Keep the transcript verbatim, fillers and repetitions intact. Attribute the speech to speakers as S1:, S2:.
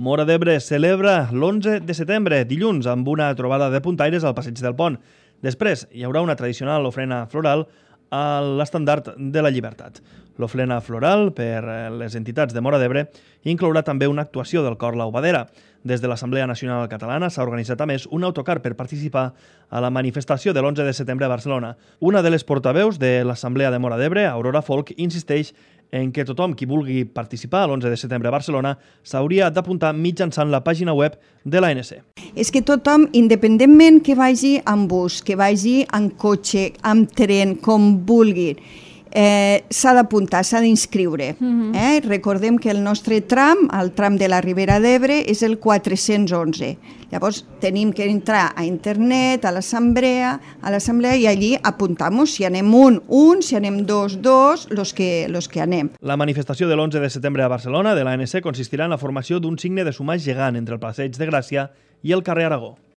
S1: Móra d'Ebre celebra l'onze de setembre, dilluns, amb una trobada de puntaires al Passeig del Pont. Després hi haurà una tradicional ofrena floral a l'estandard de la Llibertat. L'ofrena floral per les entitats de Móra d'Ebre inclourà també una actuació del cor Laubadera. Des de l'Assemblea Nacional Catalana s'ha organitzat a més un autocar per participar a la manifestació de l'onze de setembre a Barcelona. Una de les portaveus de l'Assemblea de Móra d'Ebre, Aurora Folk, insisteix en que tothom qui vulgui participar a l'onze de setembre a Barcelona s'hauria d'apuntar mitjançant la pàgina web de l'A N C.
S2: És que tothom, independentment que vagi en bus, que vagi en cotxe, en tren, com vulgui, eh, s'ha d'apuntar, s'ha d'inscriure. Uh-huh. eh? Recordem que el nostre tram, el tram de la Ribera d'Ebre, és el quatre-cents onze. Llavors tenim que entrar a internet, a l'assemblea, a l'assemblea i allí apuntar-nos si anem un, un, si anem dos, dos, los que, los que anem.
S1: La manifestació de l'onze de setembre a Barcelona de l'A N C consistirà en la formació d'un signe de sumar gegant entre el Passeig de Gràcia i el carrer Aragó.